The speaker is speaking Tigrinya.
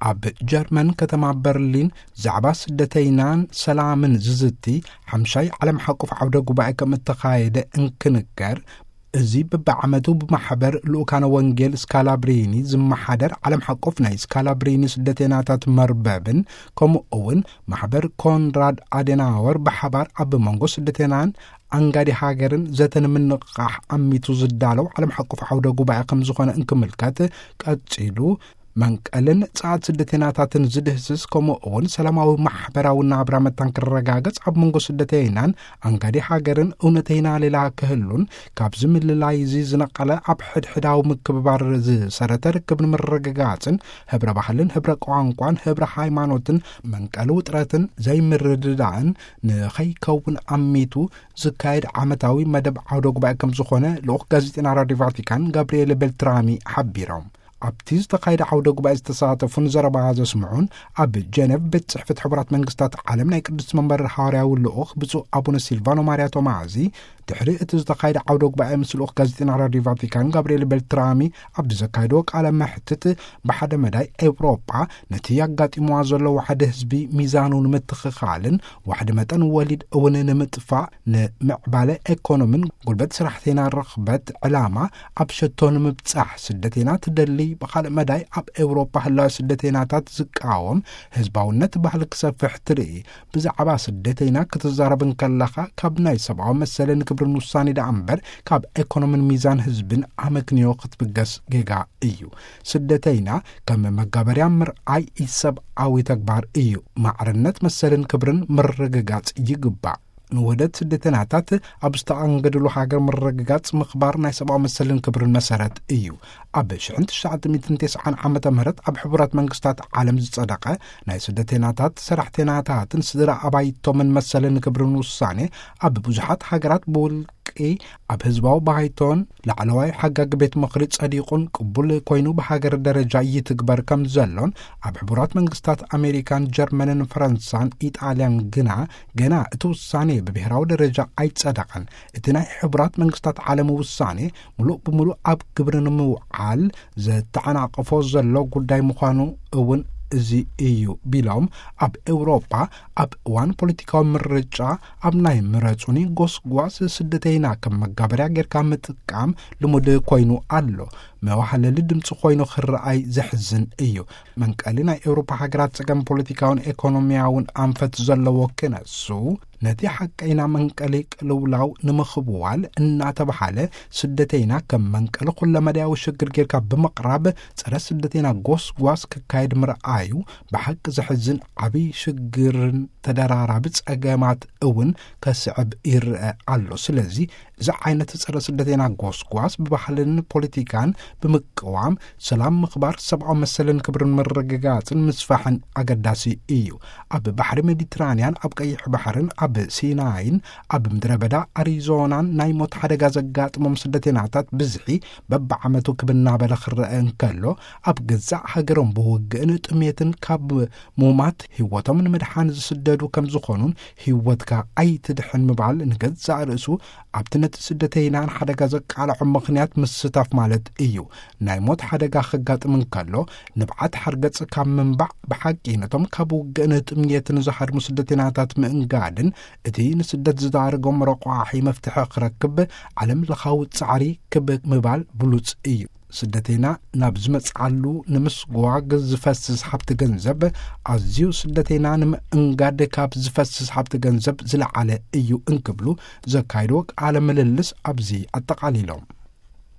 ኣብ ጀርመን ከተማ በርሊን ዛዕባ ስደተይናን ሰላምን ዝዝቲ ሓምሻይ ዓለም ሓቆፍ ዓውደ ጉባኤ ከም እተኻየደ እንክንገር፣ እዚ በብዓመቱ ብማሕበር ልኡካነ ወንጌል ስካላብሪኒ ዝመሓደር ዓለም ሓቆፍ ናይ ስካላብሪኒ ስደተይናታት መርበብን ከምኡ እውን ማሕበር ኮንራድ ኣደናወር ብሓባር ኣብ መንጎ ስደተይናን ኣንጋዲ ሃገርን ዘተ ንምንቕቓሕ ኣሚቱ ዝዳለው ዓለም ሓቆፍ ዓውደ ጉባኤ ከም ዝኾነ እንክምልከት፣ ቀጺሉ መንቀልን ጸዓት ስደተይናታትን ዝድህስስ፣ ከምኡ እውን ሰላማዊ ማሕበራዊ ናብራ መታን ክረጋገጽ፣ ኣብ መንጎ ስደተይናን ኣንጋዲ ሃገርን እውነተይና ሌላ ክህሉን፣ ካብዚ ምልላይ እዚ ዝነቐለ ኣብ ሕድሕዳዊ ምክብባር ዝሰረተ ርክብ ንምርግጋጽን፣ ህብረ ባህልን ህብረ ቋንቋን ህብረ ሃይማኖትን መንቀሊ ውጥረትን ዘይምርድዳእን ንኸይከውን ኣሚቱ ዝካየድ ዓመታዊ መደብ ዓውደ ጉባኤ ከም ዝኾነ ልኡኽ ጋዜጠና ራዲዮ ቫቲካን ጋብርኤል ቤልትራሚ ሓቢሮም። ኣብቲ ዝተኻየደ ዓውደ ጉባኤ ዝተሳተፉን ዘረባ ዘስምዑን፣ ኣብ ጀነቭ ቤት ጽሕፈት ሕቡራት መንግስታት ዓለም ናይ ቅድስቲ መንበር ሃዋርያዊ ልኡኽ ብፁዕ ኣቡነ ሲልቫኖ ማርያ ቶማዚ፣ ድሕሪ እቲ ዝተኻየደ ዓውደ ጉባኤ ምስ ልኡኽ ጋዜጠና ራዲዮ ቫቲካን ጋብርኤል ቤልትራሚ ኣብ ዘካየድዎ ቃለ መሕትት፣ ብሓደ መዳይ ኤውሮጳ ነቲ ኣጋጢምዋ ዘሎ ዋሕዲ ህዝቢ ሚዛኑ ንምትኽኻልን ዋሕዲ መጠን ወሊድ እውን ንምጥፋእ፣ ንምዕባለ ኤኮኖምን ጉልበት ስራሕተይና ርኽበት ዕላማ ኣብ ሸቶ ንምብጻሕ ስደተይና ትደሊ፣ ብኻልእ መዳይ ኣብ ኤውሮጳ ህላዊ ስደተይናታት ዝቃወም ህዝባውነት ባህሊ ክሰፍሕ ትርኢ። ብዛዕባ ስደተይና ክትዛረብ እንከለኻ፣ ካብ ናይ ሰብኣዊ መሰልን ክብርን ውሳኔ ደኣ እምበር ካብ ኤኮኖምን ሚዛን ህዝብን ኣመክንዮ ክትብገስ ጌጋ እዩ። ስደተይና ከም መጋበርያ ምርኣይ ኢሰብኣዊ ተግባር እዩ። ማዕርነት መሰልን ክብርን ምርግጋጽ ይግባእ። ንውህደት ስደተይናታት ኣብ ዝተኣንገድሉ ሃገር ምርግጋጽ ምኽባር ናይ ሰብኣዊ መሰልን ክብርን መሰረት እዩ። ኣብ ሽሕን ትሽዓተ ሚእትን ተስዓን ዓመተ ምህረት ኣብ ሕቡራት መንግስታት ዓለም ዝጸደቐ ናይ ስደተይናታት ሰራሕተይናታትን ስድራ ኣባይቶምን መሰልን ክብርን ውሳኔ፣ ኣብ ብዙሓት ሃገራት ብውልቂ ኣብ ህዝባዊ ባይቶን ላዕለዋይ ሓጋጊ ቤት ምኽሪ ጸዲቑን ቅቡል ኮይኑ ብሃገር ደረጃ ይትግበር ከም ዘሎን፣ ኣብ ሕቡራት መንግስታት ኣሜሪካን ጀርመንን ፈረንሳን ኢጣልያን ግና ገና እቲ ውሳኔ ብብሄራዊ ደረጃ ኣይጸደቐን። እቲ ናይ ሕቡራት መንግስታት ዓለም ውሳኔ ምሉእ ብምሉእ ኣብ ግብሪ ንምውዓል ዘተዓናቕፎ ዘሎ ጉዳይ ምዃኑ እውን እዚ እዩ ቢሎም፣ ኣብ ኤውሮጳ ኣብ እዋን ፖለቲካዊ ምርጫ ኣብ ናይ ምረጹኒ ጎስጓስ ስደተይና ከም መጋበርያ ጌርካ ምጥቃም ልሙድ ኮይኑ ኣሎ። መዋህለሊ ድምፂ ኮይኑ ክረኣይ ዘሕዝን እዩ። መንቀሊ ናይ ኤውሮፓ ሃገራት ጸገም ፖለቲካውን ኤኮኖሚያውን ኣንፈት ዘለዎ ክነሱ፣ ነቲ ሓቀይና መንቀሊ ቅልውላው ንምኽብዋል እናተባሃለ፣ ስደተይና ከም መንቀሊ ኩለመዳያዊ ሽግር ጌርካ ብምቕራብ፣ ጸረ ስደተይና ጎስጓስ ክካየድ ምርኣዩ ብሓቂ ዘሕዝን ዓብዪ ሽግርን ተደራራቢ ጸገማት እውን ከስዕብ ይረአ ኣሎ። ስለዚ፣ እዚ ዓይነት ጸረ ስደተይና ጎስጓስ ብባህልን ፖለቲካን ብምቅዋም፣ ሰላም ምኽባር፣ ሰብኣዊ መሰልን ክብርን ምርግጋጽን ምስፋሕን ኣገዳሲ እዩ። ኣብ ባሕሪ ሜዲትራንያን፣ ኣብ ቀይሕ ባሕርን ኣብ ሲናይን፣ ኣብ ምድረ በዳ ኣሪዞናን ናይ ሞት ሓደጋ ዘጋጥሞም ስደተይናታት ብዝሒ በብዓመቱ ክብ እናበለ ክረአ እንከሎ፣ ኣብ ገዛእ ሃገሮም ብውግእን ጥሜትን ካብ ሙማት ህይወቶም ንምድሓን ዝስደዱ ከም ዝኾኑን፣ ህይወትካ ኣይትድሕን ምባል ንገዛእ ርእሱ ኣብቲ ነቲ ስደተይና ንሓደጋ ዘቃልዖ ምኽንያት ምስታፍ ማለት እዩ። ናይ ሞት ሓደጋ ከጋጥም እንከሎ፣ ንብዓት ሓርገጽ ካብ ምንባዕ ብሓቂ ነቶም ካብ ውግእን ጥምየትን ዝሃድሙ ስደተይናታት ምእንጋድን፣ እቲ ንስደት ዝዳረጎም ረቋሒ መፍትሒ ክረክብ ዓለም ለኻዊ ጻዕሪ ክብ ምባል ብሉጽ እዩ። ስደተይና ናብ ዝመጽዓሉ ንምስጓግ ዝፈስስ ሃብቲ ገንዘብ ኣዝዩ ስደተይና ንምእንጋድ ካብ ዝፈስስ ሃብቲ ገንዘብ ዝለዓለ እዩ እንክብሉ ዘካይድዎ ቃለ ምልልስ ኣብዚ ኣጠቓሊሎም።